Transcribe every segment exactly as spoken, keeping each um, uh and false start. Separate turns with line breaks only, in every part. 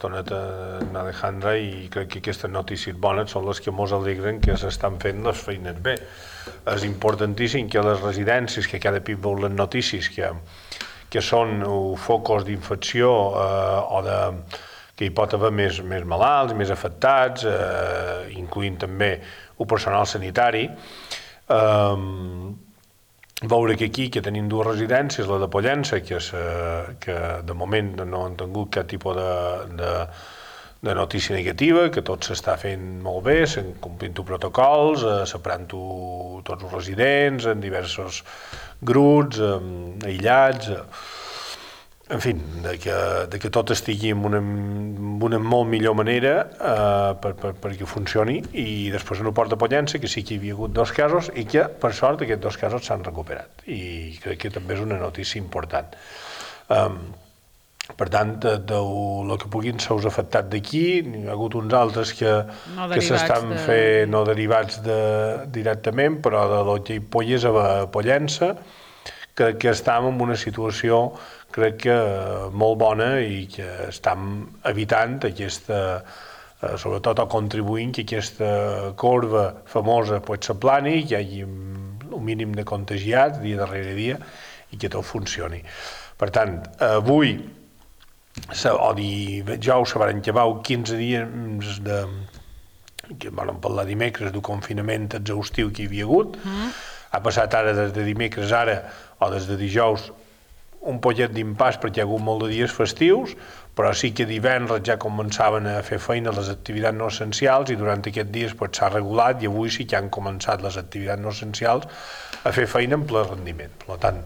Tonet en Alejandra, i crec que aquestes notícies bones són les que ens alegren que s'estan fent les feines bé. És importantíssim que les residències, que cada cop veu les notícies que, que són focus d'infecció eh, o de, que hi pot haver més, més malalts, més afectats, eh, incloent també el personal sanitari, eh, veure que aquí que tenim dues residències, la de Pollença, que, és, eh, que de moment no han tingut cap tipus de, de, de notícia negativa, que tot s'està fent molt bé, s'han complint protocols, eh, separant tots els residents en diversos grups, eh, aïllats, eh, en fi, de que, de que tot estigui en una, en una molt millor manera eh, per, per, perquè funcioni, i després en el port de Pollença, que sí que hi havia hagut dos casos i que, per sort, aquests dos casos s'han recuperat, i crec que també és una notícia important. Um, per tant, de, de el que puguin ser els afectats d'aquí, n'hi ha hagut uns altres que,
no
que s'estan
de...
fent no derivats de, directament, però de l'Otlla i Polles a Pollença, que, que estem en una situació crec que molt bona i que estem evitant aquesta, eh, sobretot o contribuint que aquesta corba famosa pues, s'aplani, que hi hagi un mínim de contagiats dia darrere dia i que tot funcioni. Per tant, avui o dijous se van acabar quinze dies de, que vam parlar dimecres del confinament exhaustiu que hi havia hagut. Mm. Ha passat ara des de dimecres ara o des de dijous un pollet d'impàs perquè hi ha hagut molt de dies festius, però sí que divendres ja començaven a fer feina les activitats no essencials, i durant aquests dies pues, s'ha regulat, i avui sí que han començat les activitats no essencials a fer feina en ple rendiment. Per tant,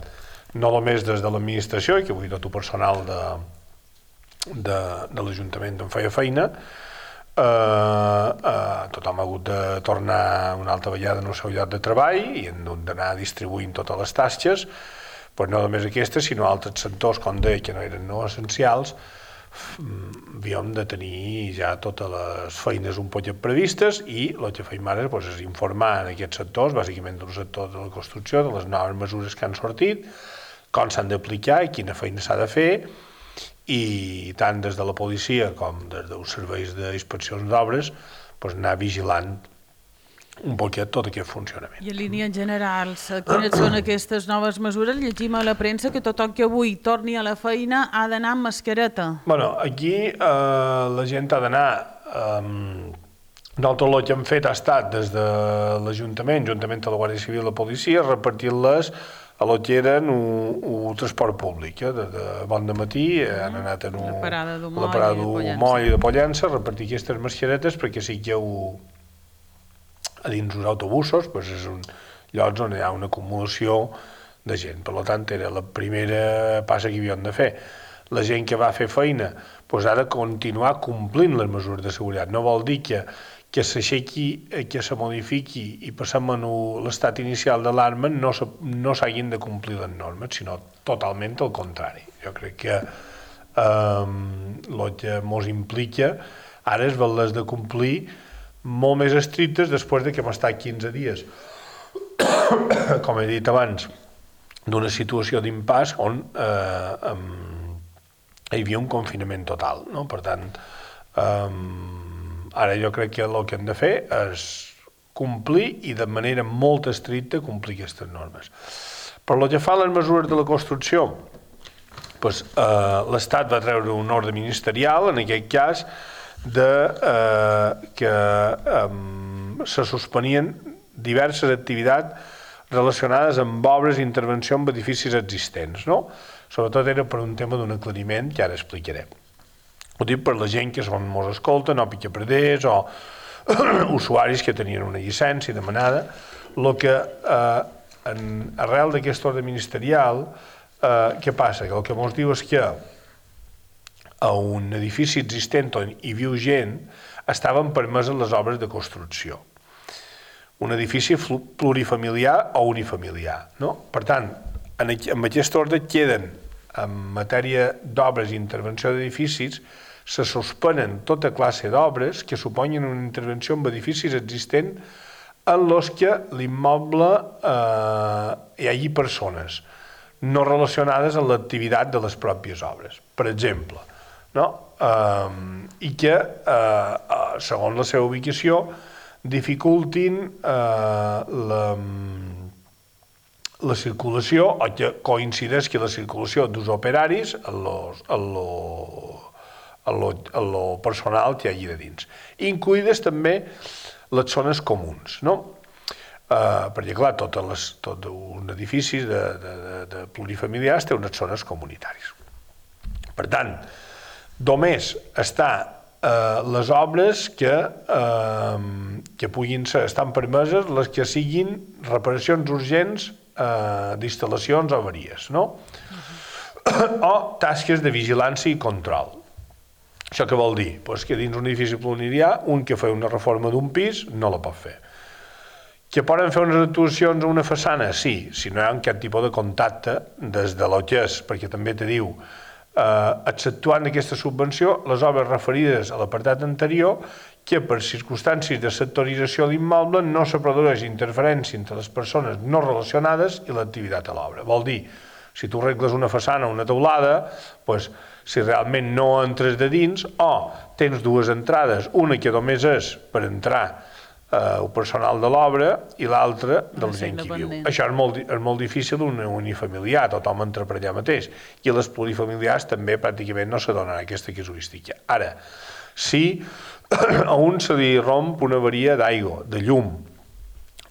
no només des de l'administració, que avui tot el personal de, de, de l'Ajuntament en feia feina, eh, eh, tothom ha hagut de tornar una altra vegada en el seu lloc de treball i han d'anar distribuint totes les tasques. Pues no només aquestes, sinó altres sectors, com deia, que no eren no essencials, havíem de tenir ja totes les feines un poc previstes, i el que feim ara pues, és informar en aquests sectors, bàsicament del sector de la construcció, de les noves mesures que han sortit, com s'han d'aplicar i quina feina s'ha de fer, i tant des de la policia com des dels serveis d'inspeccions d'obres pues, anar vigilant un poquet tot aquest funcionament.
I en línies generals, quines són aquestes noves mesures? Llegim a la premsa que tothom que avui torni a la feina ha d'anar amb mascareta.
Bueno, aquí eh, la gent ha d'anar... Eh, nosaltres el que hem fet ha estat des de l'Ajuntament, juntament amb la Guàrdia Civil i la policia, repartir-les a lo que eren el transport públic. Eh? De, de bon de matí han anat en
la parada
d'Humoi i de Pollença a repartir aquestes mascaretes perquè sigueu a dins els autobusos, doncs és un lloc on hi ha una acumulació de gent. Per tant, era la primera passa que havíem de fer. La gent que va fer feina doncs ha de continuar complint les mesures de seguretat. No vol dir que, que s'aixequi, que se modifiqui i passem a l'estat inicial d'alarma no, no s'hagin de complir les normes, sinó totalment al contrari. Jo crec que el eh, que ens implica ara és haver-les de complir molt més estrictes després de que hem estat quinze dies, com he dit abans, d'una situació d'impàs on eh, um, hi havia un confinament total. No? Per tant, um, ara jo crec que el que hem de fer és complir i de manera molt estricta complir aquestes normes. Per lo que fa a les mesures de la construcció, doncs, eh, l'Estat va treure un ordre ministerial, en aquest cas, de eh, que eh, se suspenien diverses activitats relacionades amb obres i intervenció en edificis existents, no? Sobretot era per un tema d'un aclariment que ara explicaré. Ho dic per la gent que són mos escolten, o picapreders, o usuaris que tenien una llicència demanada. El que, eh, en, arrel d'aquest ordre ministerial, eh, què passa? Que el que mos diu és que a un edifici existent on hi viu gent estaven permeses les obres de construcció. Un edifici plurifamiliar o unifamiliar. No? Per tant, en, en aquest ordre queden, en matèria d'obres i intervenció d'edificis, se suspenen tota classe d'obres que suponyen una intervenció en edificis existents en els que l'immoble eh, hi hagi persones no relacionades amb l'activitat de les pròpies obres. Per exemple, no? Eh, i que, eh, segons la seva ubicació, dificultin eh, la, la circulació, o que coincideix que la circulació dels operaris en lo, en lo, en lo, en lo personal que hi hagi de dins. Incluïdes també les zones comuns, no? Uh, perquè, clar, totes les, tot un edifici de, de, de, de plurifamiliars té unes zones comunitàries. Per tant, només està uh, les obres que, uh, que puguin ser, estan permeses les que siguin reparacions urgents uh, d'instal·lacions o avaries, no? Uh-huh. O tasques de vigilància i control. Això què vol dir? Pues que dins un edifici plurifamiliar, un que fa una reforma d'un pis no la pot fer. Que poden fer unes actuacions a una façana? Sí, si no hi ha cap tipus de contacte des de lo que és, perquè també te diu, eh, exceptuant aquesta subvenció, les obres referides a l'apartat anterior, que per circumstàncies de sectorització de l'immoble no se produeix interferència entre les persones no relacionades i l'activitat a l'obra. Vol dir, si tu arregles una façana o una teulada, pues, si realment no entres de dins, o tens dues entrades, una que només és per entrar el personal de l'obra i l'altre de la gent que viu. Això és molt, és molt difícil un unifamiliar, tothom entra per allà mateix. I a les plurifamiliars també pràcticament no se donen aquesta casuística. Ara, si a un se li romp una avaria d'aigua, de llum,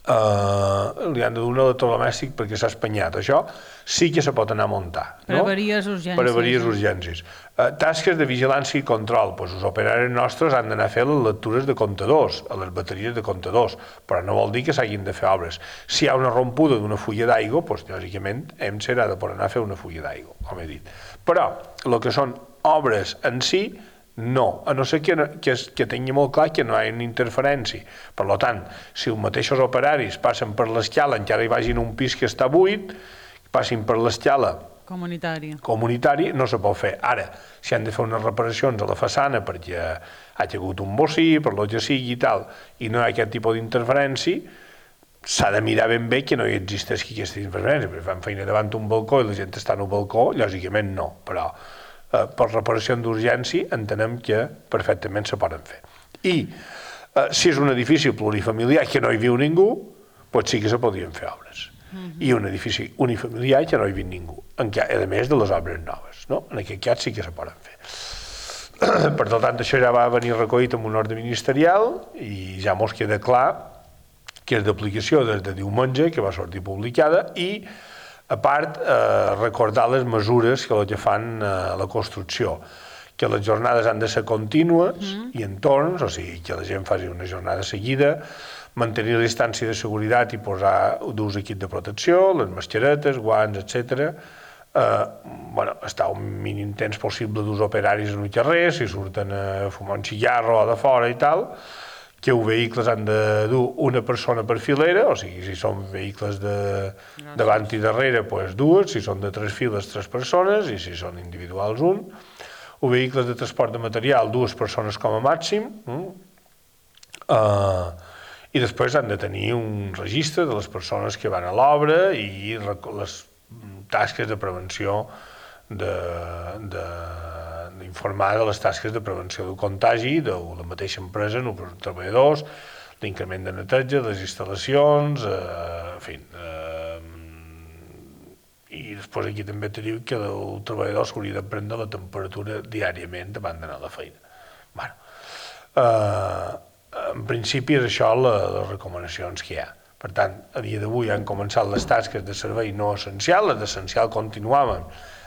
eh, li han de donar electrodomèstic perquè s'ha espanyat, això sí que se pot anar a muntar.
Per avaries urgències.
Per avaries urgències. Uh, tasques de vigilància i control, doncs els operaris nostres han d'anar a fer les lectures de comptadors, a les bateries de comptadors, però no vol dir que s'hagin de fer obres. Si hi ha una rompuda d'una fulla d'aigua, doncs lògicament hem serà de poder anar a fer una fulla d'aigua, com he dit. Però el que són obres en si, no, a no ser que, que, que tingui molt clar que no hi ha una interferència. Per tant, si els mateixos operaris passen per l'escala, encara hi vagin un pis que està buit, passin per l'escala
comunitari.
comunitari, no se pot fer. Ara, si han de fer unes reparacions a la façana perquè ha hagut un bocí, per lo que sigui i tal, i no hi ha aquest tipus d'interferència, s'ha de mirar ben bé que no hi existeixi aquesta interferència, perquè fan feina davant un balcó i la gent està en un balcó, lògicament no, però eh, per reparació d'urgència entenem que perfectament se poden fer. I eh, si és un edifici plurifamiliar que no hi viu ningú, doncs sí que se podrien fer obres. I un edifici unifamiliar que no hi viu ningú, a més de les obres noves, no? En aquest cas sí que se poden fer. Per tant, això ja va venir recollit en un ordre ministerial i ja mos queda clar que és d'aplicació des de diumenge, que va sortir publicada, i a part eh, recordar les mesures que, que fan eh, la construcció, que les jornades han de ser contínues mm. i en torns, o sigui, que la gent faci una jornada seguida, mantenir la distància de seguretat i posar d'ús equip de protecció, les mascaretes, guants, etcètera. Eh, bueno, estar un mínim temps possible dels operaris en el carrer, si surten a fumar un cigarro o de fora i tal, que els vehicles han de dur una persona per filera, o sigui, si són vehicles de davant i darrere, doncs dues, si són de tres files, tres persones, i si són individuals, un. O vehicles de transport de material, dues persones com a màxim. Eh, I després han de tenir un registre de les persones que van a l'obra i les tasques de prevenció, d'informar de, de, de les tasques de prevenció del contagi de la mateixa empresa, no per treballadors, l'increment de neteja, les instal·lacions, eh, en fi. Eh, I després aquí també te diu que el treballador s'hauria de prendre la temperatura diàriament abans d'anar a la feina. Bueno, eh, en principi és això les recomanacions que hi ha. Per tant, a dia d'avui han començat les tasques de servei no essencial, les d'essencial continuaven,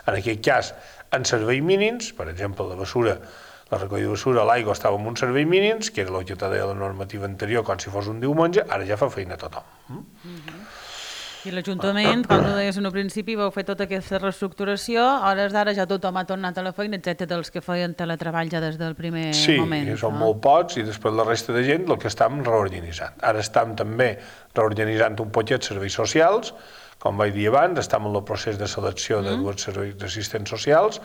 en aquest cas, en serveis mínims, per exemple, la bessura, la recollida de bessura, l'aigua estava en uns serveis mínims, que era el que te deia la normativa anterior, com si fos un diumenge, ara ja fa feina a tothom.
Mm-hmm. I l'Ajuntament, com tu deies en un principi, vau fer tota aquesta reestructuració, a hores d'ara ja tothom ha tornat a la feina, excepte dels que feien teletreball ja des del primer
sí,
moment.
Sí, són no? molt pocs, i després la resta de gent el que estem reorganitzant. Ara estem també reorganitzant un poquet serveis socials, com vaig dir abans, estem en el procés de selecció de mm. dos serveis d'assistents socials,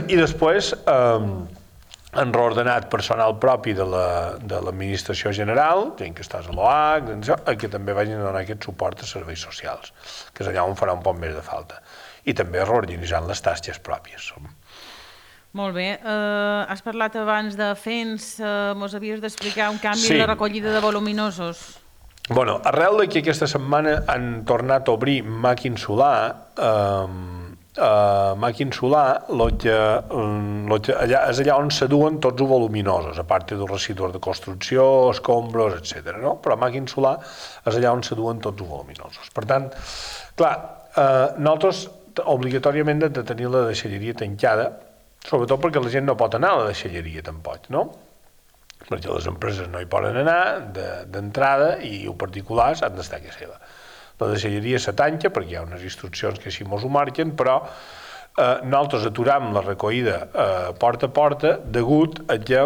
i després eh, han reordenat personal propi de l'administració la, general, gent que estàs a l'O H, que també vagin a donar aquest suport a serveis socials, que és allà on farà un poc més de falta. I també reorganitzant les tasques pròpies.
Molt bé. Uh, has parlat abans de F E N S, uh, mos havies d'explicar un canvi
Sí.
en la recollida de voluminosos.
Bueno, arrel de que aquesta setmana han tornat a obrir màquines solar, eh, eh, màquines solar, lo que, lo que allà, és allà on se duen tots els voluminosos, a part dels residus de construcció, escombros, etcètera. No? Però màquines solar és allà on se duen tots els voluminosos. Per tant, clar, eh, nosaltres obligatòriament hem de tenir la deixalleria tancada, sobretot perquè la gent no pot anar a la deixalleria tampoc, no? Perquè les empreses no hi poden anar d'entrada de, i els particulars han d'estar a casa seva. La deixalleria se tanca perquè hi ha unes instruccions que així mos ho marquen, però eh, nosaltres aturam la recollida eh, porta a porta degut a que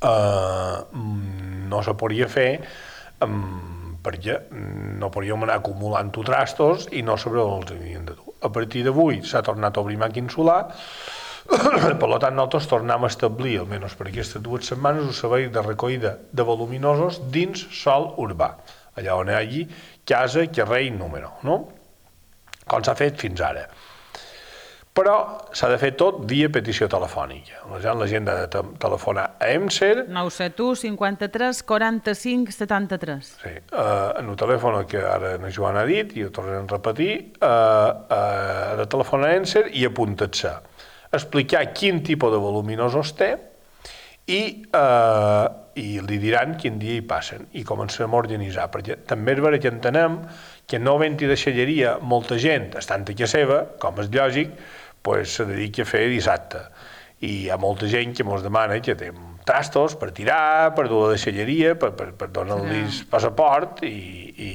eh, no se podria fer eh, perquè no podríem anar acumulant trastos i no saber on els havien de dur. A partir d'avui s'ha tornat a obrir màquina solar. Per tant, nosaltres tornem a establir, almenys per aquestes dues setmanes, un servei de recollida de voluminosos dins sòl urbà, allà on hi hagi casa, carrer i número, no? Com s'ha fet fins ara. Però s'ha de fer tot via petició telefònica. La gent, la gent ha de te telefonar a EMSER.
nou set u cinquanta-tres quaranta-cinc setanta-tres.
Sí, eh, en el telèfon que ara la Joana ha dit, i ho tornem a repetir, eh, eh, ha de telefonar a EMSER i apuntar-se. Explicar quin tipus de voluminosos té i, eh, i li diran quin dia hi passen i començarem a organitzar, perquè també és vera que entenem que no havent-hi deixalleria molta gent estant a casa seva, com és lògic, pues, se dedica a fer dissabte i hi ha molta gent que ens demana que té trastos per tirar, per dur a la deixalleria, per, per, per donar-los passaport i, i,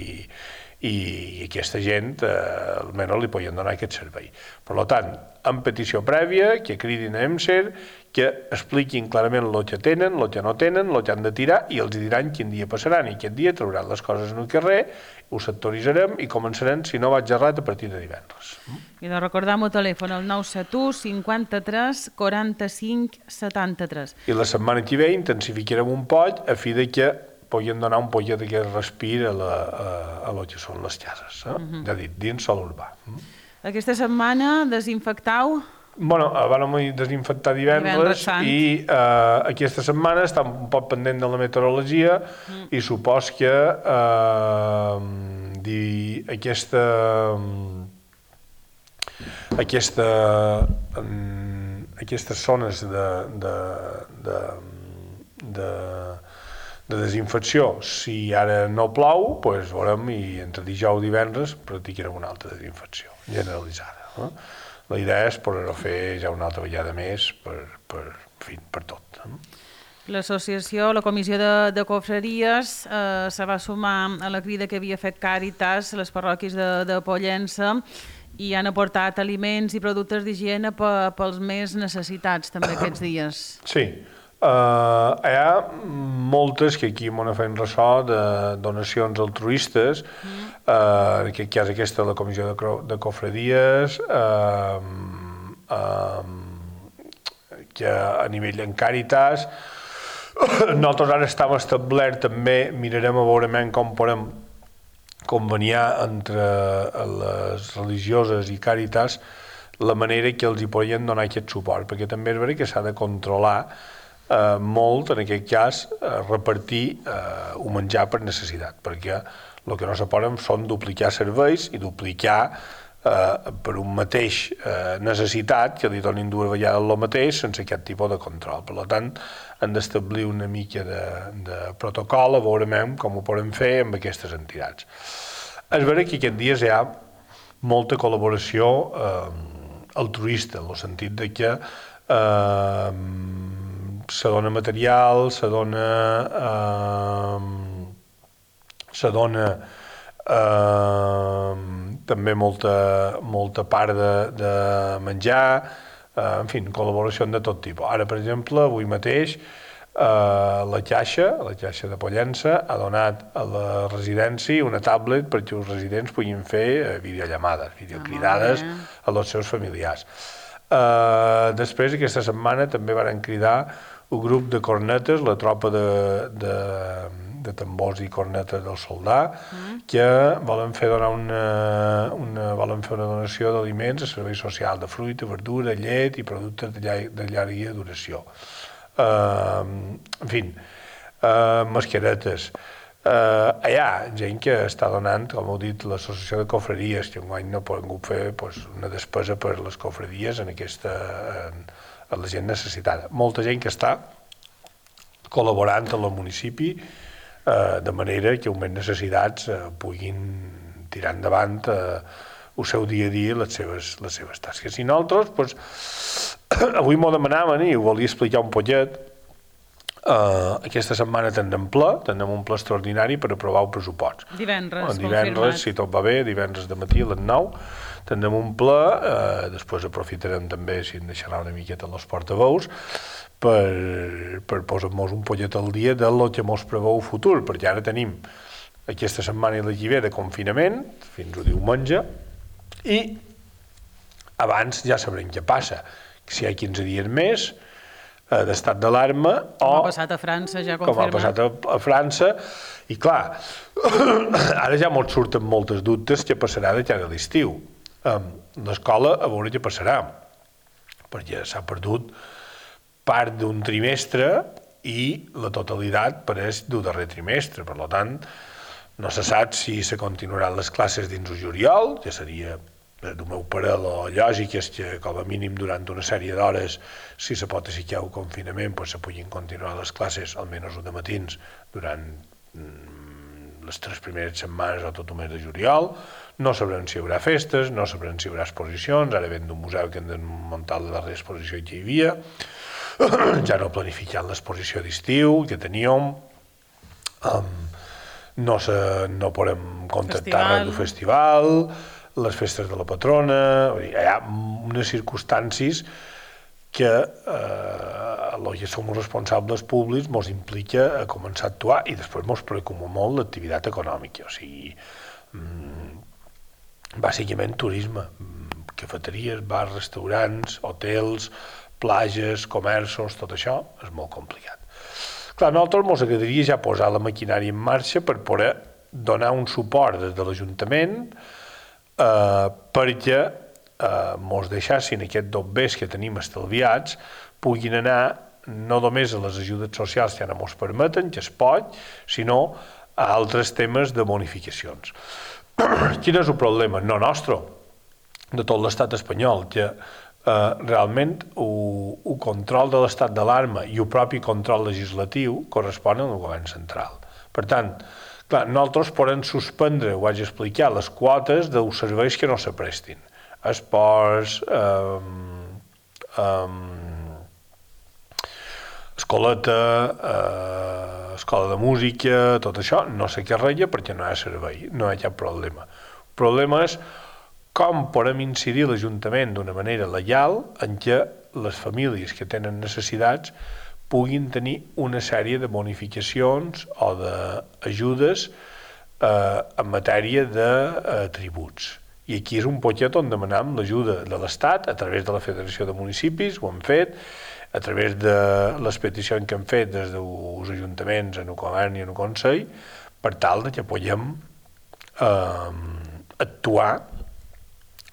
i, i aquesta gent eh, almenys li poden donar aquest servei. Per tant, en petició prèvia, que cridin a EMSER, que expliquin clarament el que tenen, el que no tenen, el que han de tirar, i els diran quin dia passaran, i aquest dia trauran les coses en el carrer, ho sectoritzarem i començarem, si no vaig errat, a partir de divendres.
I de recordar el telèfon, el nou set u cinquanta-tres quaranta-cinc setanta-tres.
I la setmana que ve intensificarem un poc a fi de que puguin donar un poquet d'aquest respir a, la, a, a lo que són les cases, eh? Uh -huh. Ja dit, dins sol urbà.
Aquesta setmana desinfectau?
Bueno, vam desinfectar divendres, divendres i eh, aquesta setmana està un poc pendent de la meteorologia mm. i supos que eh, di, aquesta aquesta um, aquestes zones de de, de, de, de desinfecció, si ara no plou, doncs veurem i entre dijous i divendres practicarem una altra desinfecció generalitzada. Eh? La idea és poder-ho fer ja una altra vegada més per, per, en fi, per tot.
L'associació, la comissió de, de confraries eh, se va sumar a la crida que havia fet Càritas a les parròquies de, de Pollença i han aportat aliments i productes d'higiene pels més necessitats també aquests dies.
Sí, uh, hi ha moltes que aquí m'ho fem ressò de donacions altruistes, mm. uh, en aquest cas aquesta de la comissió de, de cofradies, uh, uh, que a nivell en Càritas, nosaltres ara estem establert també, mirarem a veure com podem conveniar entre les religioses i Càritas la manera que els hi podien donar aquest suport, perquè també és veritat que s'ha de controlar eh, molt, en aquest cas, eh, repartir eh, un menjar per necessitat, perquè el que no se poden són duplicar serveis i duplicar eh, per un mateix eh, necessitat que li donin dues vegades el mateix sense aquest tipus de control. Per tant, han d'establir una mica de, de protocol, a veurem com ho podem fer amb aquestes entitats. És veritat que aquests dies hi ha molta col·laboració eh, altruista, en el sentit de que eh, se dona material, se dona eh, se dona eh, també molta, molta part de, de menjar, eh, en fi, col·laboració de tot tipus. Ara, per exemple, avui mateix Uh, la Caixa, la Caixa de Pollença, ha donat a la residència una tablet perquè els residents puguin fer videollamades, videocridades ah, a els seus familiars. Uh, després, aquesta setmana, també van cridar un grup de cornetes, la tropa de, de, de tambors i cornetes del soldà, mm. que volen fer donar una, una, volen fer una donació d'aliments a servei social de fruita, verdura, llet i productes de, llar, de llarga duració. Uh, en fi, uh, mascaretes. Uh, hi ha gent que està donant, com heu dit, l'associació de cofreries, que enguany no poden fer pues, una despesa per les cofreries en aquesta, en, en la gent necessitada. Molta gent que està col·laborant amb el municipi eh, de manera que augment necessitats eh, puguin tirar endavant eh, el seu dia a dia les seves, les seves tasques. I nosaltres, pues, avui m'ho demanaven i ho volia explicar un poquet. Uh, aquesta setmana tindrem ple, tindrem un ple extraordinari per aprovar el pressupost.
Divendres,
en divendres, confirmat. Si tot va bé, divendres de matí a les nou, tindrem un ple, uh, després aprofitarem també, si en deixarà una miqueta els portaveus, per, per posar-nos un pollet al dia del que mos preveu el futur, perquè ara tenim aquesta setmana i la que ve de confinament, fins a diumenge, i abans ja sabrem què passa, si hi ha quinze dies més, d'estat d'alarma, o...
Com ha passat a França, ja confirmat.
Com ha passat a, a França, i clar, ara ja mos surten moltes dubtes què passarà de cara a l'estiu. Um, L'escola, a veure què passarà, perquè s'ha perdut part d'un trimestre i la totalitat pareix del darrer trimestre, per tant, no se sap si se continuaran les classes dins el juliol, ja seria... del meu pare, la lògica és que com a mínim durant una sèrie d'hores, si se pot aixecar el confinament, pues se puguin continuar les classes, almenys de matins, durant mm, les tres primeres setmanes o tot el mes de juliol. No sabrem si hi haurà festes, no sabrem si hi haurà exposicions, ara ven d'un museu que hem de muntar la darrera exposició que hi havia, ja no planificat l'exposició d'estiu que teníem, um, no, se, no podem contactar res del festival, les festes de la patrona, hi ha unes circumstàncies que eh, el que som responsables públics ens implica a començar a actuar i després ens preocupa molt l'activitat econòmica, o sigui, mmm, bàsicament turisme, cafeteries, bars, restaurants, hotels, platges, comerços, tot això és molt complicat. Clar, a nosaltres ens agradaria ja posar la maquinària en marxa per poder donar un suport des de l'Ajuntament Uh, perquè uh, mos deixassin aquests dobbers que tenim estalviats puguin anar no només a les ajudes socials que ara mos permeten, que es pot, sinó a altres temes de bonificacions. Quin és el problema? No nostre, de tot l'estat espanyol, que uh, realment el control de l'estat d'alarma i el propi control legislatiu corresponen al govern central. Per tant, clar, nosaltres podem suspendre, ho vaig explicar, les quotes dels serveis que no s'aprestin. Esports, um, um, escoleta, uh, escola de música, tot això, no sé què reia perquè no hi ha servei, no hi ha cap problema. El problema és com podem incidir l'Ajuntament d'una manera legal en què les famílies que tenen necessitats puguin tenir una sèrie de bonificacions o d'ajudes eh, en matèria de eh, tributs. I aquí és un poquet on demanem l'ajuda de l'Estat a través de la Federació de Municipis, ho hem fet, a través de les peticions que hem fet des dels ajuntaments en el govern i en el Consell, per tal de que puguem eh, actuar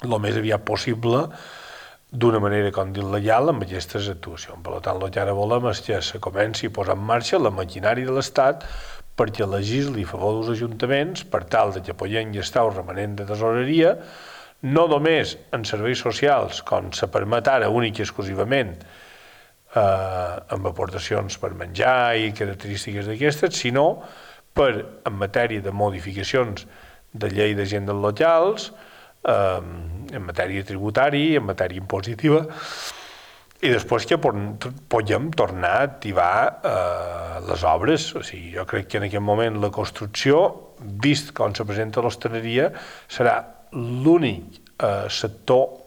el més aviat possible d'una manera, com dic, legal amb aquestes actuacions. Per tant, el que ara volem és que se comenci a posar en marxa la maquinària de l'Estat perquè legisli a favor dels ajuntaments per tal de que puguem gastar el remanent de tesoreria no només en serveis socials, com se permet ara únic i exclusivament eh, amb aportacions per menjar i característiques d'aquestes, sinó per, en matèria de modificacions de llei d'agents locals, en matèria tributària, en matèria impositiva, i després que podem tornar a activar eh, les obres. O sigui, jo crec que en aquest moment la construcció, vist com se presenta l'hostaleria, serà l'únic eh, sector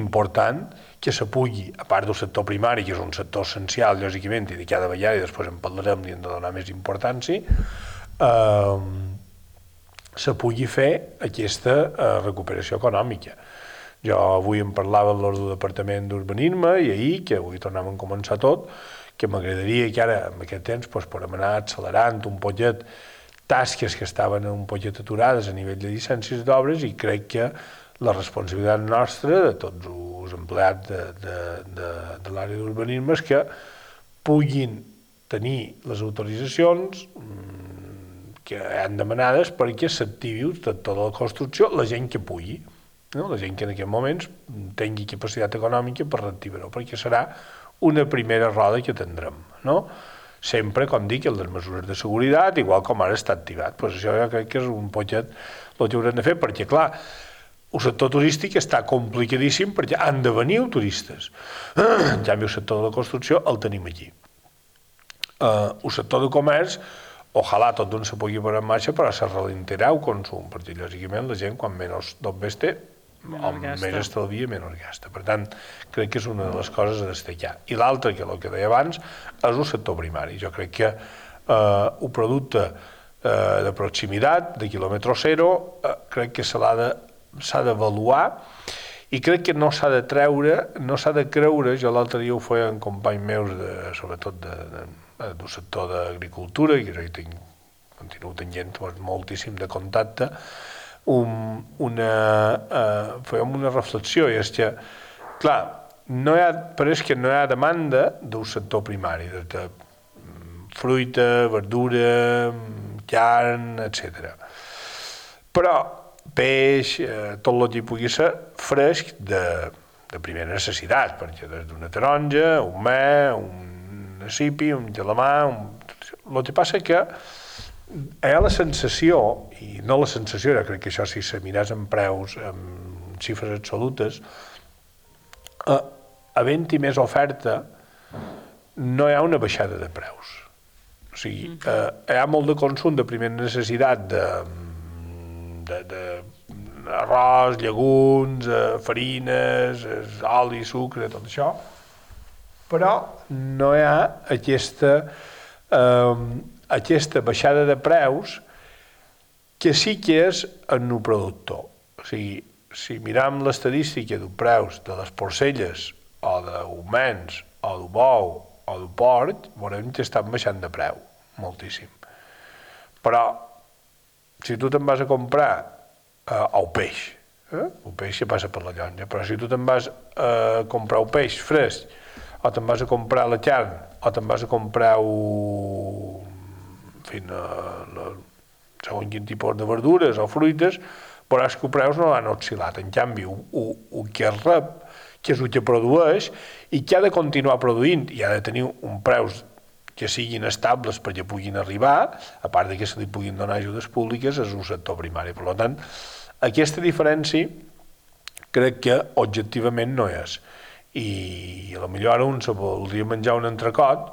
important que se pugui, a part del sector primari, que és un sector essencial, lògicament, i de cada vegada, i després en parlarem, li hem de donar més importància, eh, se pugui fer aquesta eh, recuperació econòmica. Jo avui em parlava de l'ordre del Departament d'Urbanisme i ahir, que avui tornàvem a començar tot, que m'agradaria que ara, en aquest temps, doncs, podem anar accelerant un pollet tasques que estaven un poquet aturades a nivell de llicències d'obres i crec que la responsabilitat nostra, de tots els empleats de, de, de, de l'àrea d'urbanisme, és que puguin tenir les autoritzacions que han demanades perquè s'activi tota la construcció la gent que pugui, no? La gent que en aquests moments tingui capacitat econòmica per reactivar-ho, perquè serà una primera roda que tindrem, no? Sempre, com dic, en les mesures de seguretat, igual com ara està activat. Pues això jo crec que és un poquet el que haurem de fer, perquè, clar, el sector turístic està complicadíssim perquè han de venir turistes. En canvi, el sector de la construcció el tenim aquí. Uh, el sector de comerç, ojalà tot d'un se pugui posar en marxa, però se ralentirà el consum, perquè, lògicament, la gent, quan menys dobbers té, o més estalvia, menys gasta. Per tant, crec que és una de les coses a destacar. I l'altra, que el que deia abans, és el sector primari. Jo crec que eh, un producte eh, de proximitat, de quilòmetre zero, eh, crec que se l'ha de, s'ha d'avaluar i crec que no s'ha de treure, no s'ha de creure, jo l'altre dia ho feien companys meus, de, sobretot de, de, de, del sector d'agricultura, i jo tinc, continuo tenint moltíssim de contacte, Un, una, uh, fèiem una reflexió, i és que, clar, no hi ha, però és que no hi ha demanda del sector primari, de, de fruita, verdura, carn, etcètera. Però peix, eh, tot el que pugui ser fresc de, de primera necessitat, perquè des d'una taronja, un me, un cipi, un gelamà, un... el que passa que hi ha la sensació, i no la sensació, jo crec que això si se miràs en preus, en xifres absolutes, eh, havent-hi més oferta, no hi ha una baixada de preus. O sigui, eh, hi ha molt de consum de primera necessitat de, de, de arròs, llegums, eh, farines, oli, sucre, tot això, però no hi ha aquesta... Eh, aquesta baixada de preus que sí que és en el productor. O sigui, si miram l'estadística dels preus de les porcelles o d'humans o del bou o del porc, veurem que estan baixant de preu, moltíssim. Però, si tu te'n vas a comprar eh, el peix, eh? el peix que passa per la llonja, però si tu te'n vas a comprar el peix fresc, o te'n vas a comprar la carn, o te'n vas a comprar un... en fi, la, la, segons quin tipus de verdures o fruites, veuràs que els preus no han oscil·lat. En canvi, el que es rep, que és el que produeix, i que ha de continuar produint, i ha de tenir un preus que siguin estables perquè puguin arribar, a part de que se li puguin donar ajudes públiques, és un sector primari. Per tant, aquesta diferència crec que objectivament no és. I potser ara un se voldria menjar un entrecot,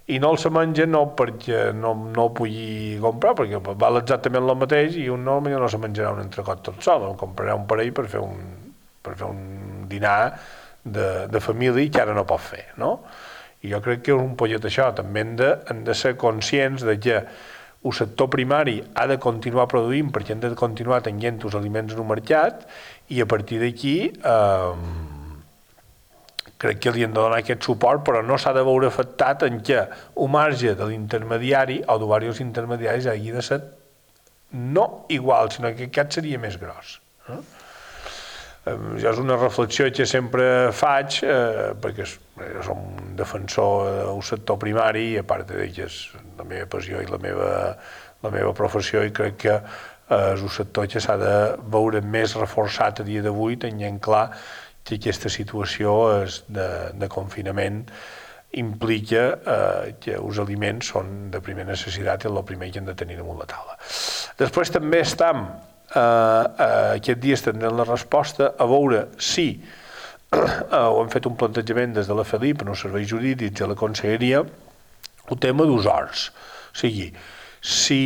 i no el se menja no perquè no, no el pugui comprar, perquè val exactament el mateix i un no, no se menjarà un entrecot tot sol, el comprarà un parell per fer un, per fer un dinar de, de família que ara no pot fer, no? I jo crec que és un pollet això, també hem de, hem de ser conscients de que el sector primari ha de continuar produint perquè hem de continuar tenint els aliments en el mercat i a partir d'aquí eh, crec que li hem de donar aquest suport, però no s'ha de veure afectat en què el marge de l'intermediari o de diversos intermediaris hagi de ser no igual, sinó que aquest seria més gros. Eh? Jo és una reflexió que sempre faig, eh, perquè jo som un defensor del sector primari i a part de que és la meva passió i la meva, la meva professió, i crec que eh, és un sector que s'ha de veure més reforçat a dia d'avui, tenint clar que aquesta situació és de, de confinament implica eh, que els aliments són de primera necessitat i el primer que hem de tenir damunt la taula. Després també estem, eh, eh, aquest dia tindrem la resposta a veure si eh, ho hem fet un plantejament des de la Felip, en els serveis jurídics i la conselleria, el tema dels horts. O sigui, si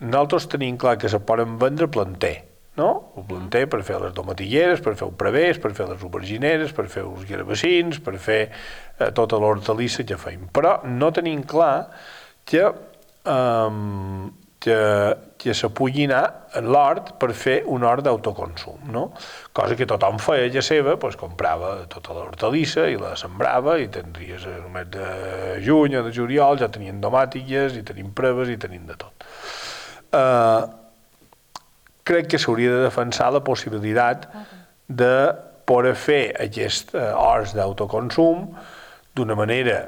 nosaltres tenim clar que se poden vendre planter, no? El planter per fer les domatilleres, per fer el prevés, per fer les aubergineres, per fer els garabacins, per fer eh, tota l'hortalissa que feim. Però no tenim clar que eh, que, que se pugui anar en l'hort per fer un hort d'autoconsum, no? Cosa que tothom feia ja seva, doncs comprava tota l'hortalissa i la sembrava i tindries el mes de juny o de juliol, ja tenien domàtiques i tenim preves i tenim de tot. Eh, crec que s'hauria de defensar la possibilitat de poder fer aquests horts d'autoconsum d'una manera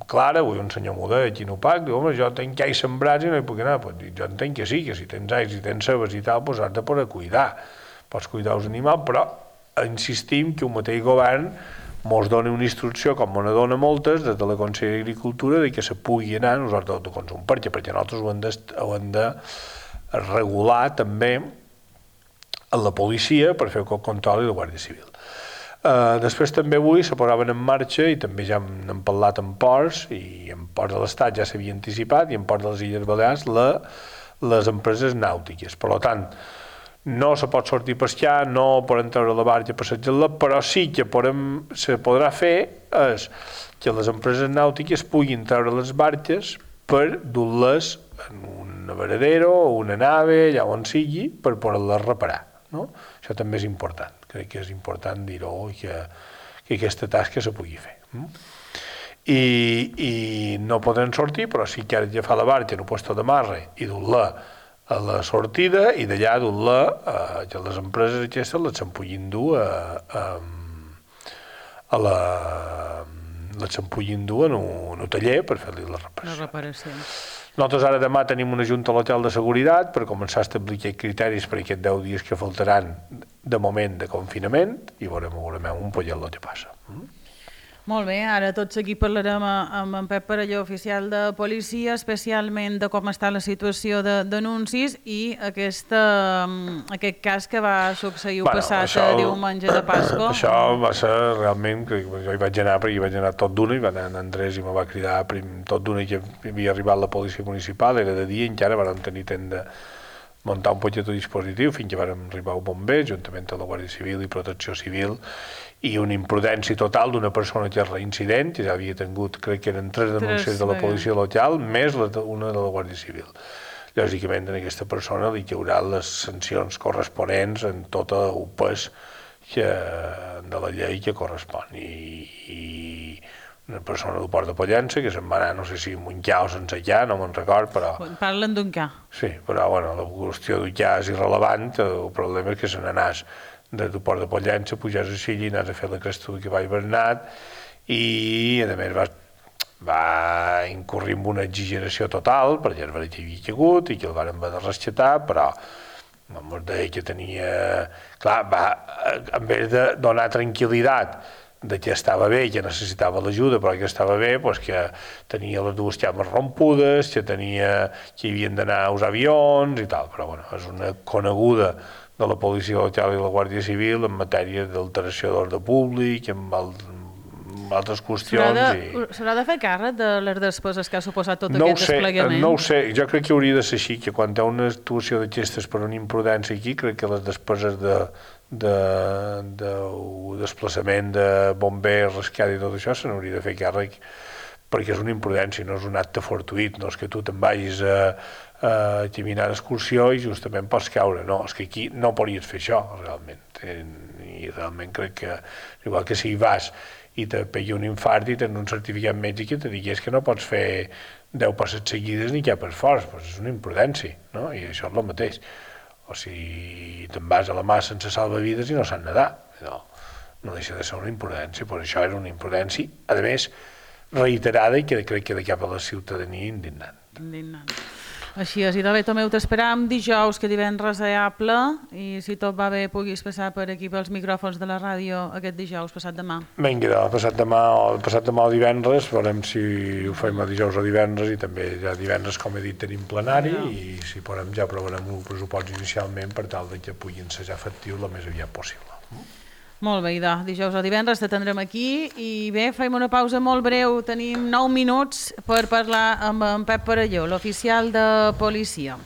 clara. Avui un senyor m'ho deia aquí no pac, diu, home, jo tenc llais sembrats i no hi puc anar. Pues, jo entenc que sí, que si tens llais i tens cebes i tal, doncs has de poder cuidar. Pots cuidar els animals, però insistim que un mateix govern mos dona una instrucció, com me dona moltes, des de la Conselleria d'Agricultura, de que se pugui anar en els horts d'autoconsum. Per què? Perquè nosaltres ho hem de, ho hem de regular també a la policia per fer el control i la Guàrdia Civil. Uh, després també avui se posaven en marxa, i també ja n'hem parlat en ports, i en ports de l'Estat ja s'havia anticipat, i en ports de les Illes Balears, la, les empreses nàutiques. Per tant, no se pot sortir a pescar, no podem treure la barca a passejar-la, però sí que podem, se podrà fer és que les empreses nàutiques puguin treure les barques per dur-les en un varadero o una nave, allà on sigui, per poder-les reparar. No? Això també és important. Crec que és important dir-ho i que, que aquesta tasca se pugui fer. I, i no poden sortir, però sí que has d'agafar la barca en un puesto de marre i dur-la a la sortida i d'allà dur-la a que les empreses aquestes les se'n puguin dur a, a, a la les se'n puguin dur en un, en un taller per fer-li la reparació.
La reparació.
Nosaltres ara demà tenim una junta a l'hotel de seguretat per començar a establir aquests criteris per aquests deu dies que faltaran de moment de confinament i veurem, veurem un pollet el que passa.
Molt bé, ara tot seguit parlarem amb en Pep Parelló, oficial de policia, especialment de com està la situació de denuncis i aquesta, aquest cas que va succeir el bueno, passat això, diumenge de Pasqua.
Això va ser realment, que jo hi vaig anar perquè hi vaig anar tot d'una, i va anar en Andrés i me va cridar prim, tot d'una que havia arribat la policia municipal, era de dia i encara vam tenir temps de muntar un poquet de dispositiu fins que vam arribar al bomber, juntament amb la Guàrdia Civil i Protecció Civil, i una imprudència total d'una persona que és reincident, que ja havia tingut, crec que eren tres denúncies de la policia local, més una de la Guàrdia Civil. Lògicament, a aquesta persona li haurà les sancions corresponents en tot el pes que, de la llei que correspon. I, i una persona del Port de Pollença, que se'n va anar, no sé si amb un ca o sense ca, no me'n record, però...
Parlen d'un ca.
Sí, però bueno, la qüestió d'un ca és irrellevant, el problema és que se n'anàs des del Port de Pollença, pujàs a Silla i anàs a fer la cresta que vaig Bernat, i a més va, va incurrir en una exageració total, perquè el verí havia caigut i que el van haver de rescatar, però em deia que tenia... Clar, va, en vez de donar tranquil·litat de que estava bé, que necessitava l'ajuda, però que estava bé, doncs que tenia les dues cames rompudes, que tenia que hi havien d'anar a usar avions i tal, però bueno, és una coneguda de la policia local i la Guàrdia Civil en matèria d'alteració d'ordre públic, amb, el, amb altres qüestions.
S'haurà de, i... s'haurà de fer càrrec de les despeses que ha suposat tot
no
aquest
sé,
desplegament?
No ho sé, jo crec que hauria de ser així, que quan hi ha una actuació d'aquestes per una imprudència aquí, crec que les despeses de de, de desplaçament de bombers, rescat i tot això se n'hauria de fer càrrec, perquè és una imprudència, no és un acte fortuït, no és que tu te'n vagis a, a caminar d'excursió i justament pots caure, no, és que aquí no podries fer això realment, i realment crec que igual que si hi vas i te pegui un infart i tens un certificat mèdic i te digués que no pots fer deu passes seguides ni cap esforç, doncs és una imprudència, no? I això és el mateix. O sigui, te'n vas a la mà sense salvavides i no saps nedar. No, no deixa de ser una imprudència, però això era una imprudència, a més, reiterada i que crec que de cap a la ciutadania indignant.
Indignant. Així és, i de bé, Tomeu, t'esperam dijous, que divendres és ample, i si tot va bé puguis passar per aquí pels micròfons de la ràdio aquest dijous, passat demà.
Vinga, passat demà o passat demà o divendres, veurem si ho fem a dijous o divendres, i també ja divendres, com he dit, tenim plenari, ja. I si podem ja aprovarem un pressupost inicialment per tal que puguin ser ja efectius el més aviat possible.
Molt bé, Idò, dijous o divendres t'atendrem aquí i bé, fem una pausa molt breu, tenim nou minuts per parlar amb en Pep Parelló, l'oficial de policia.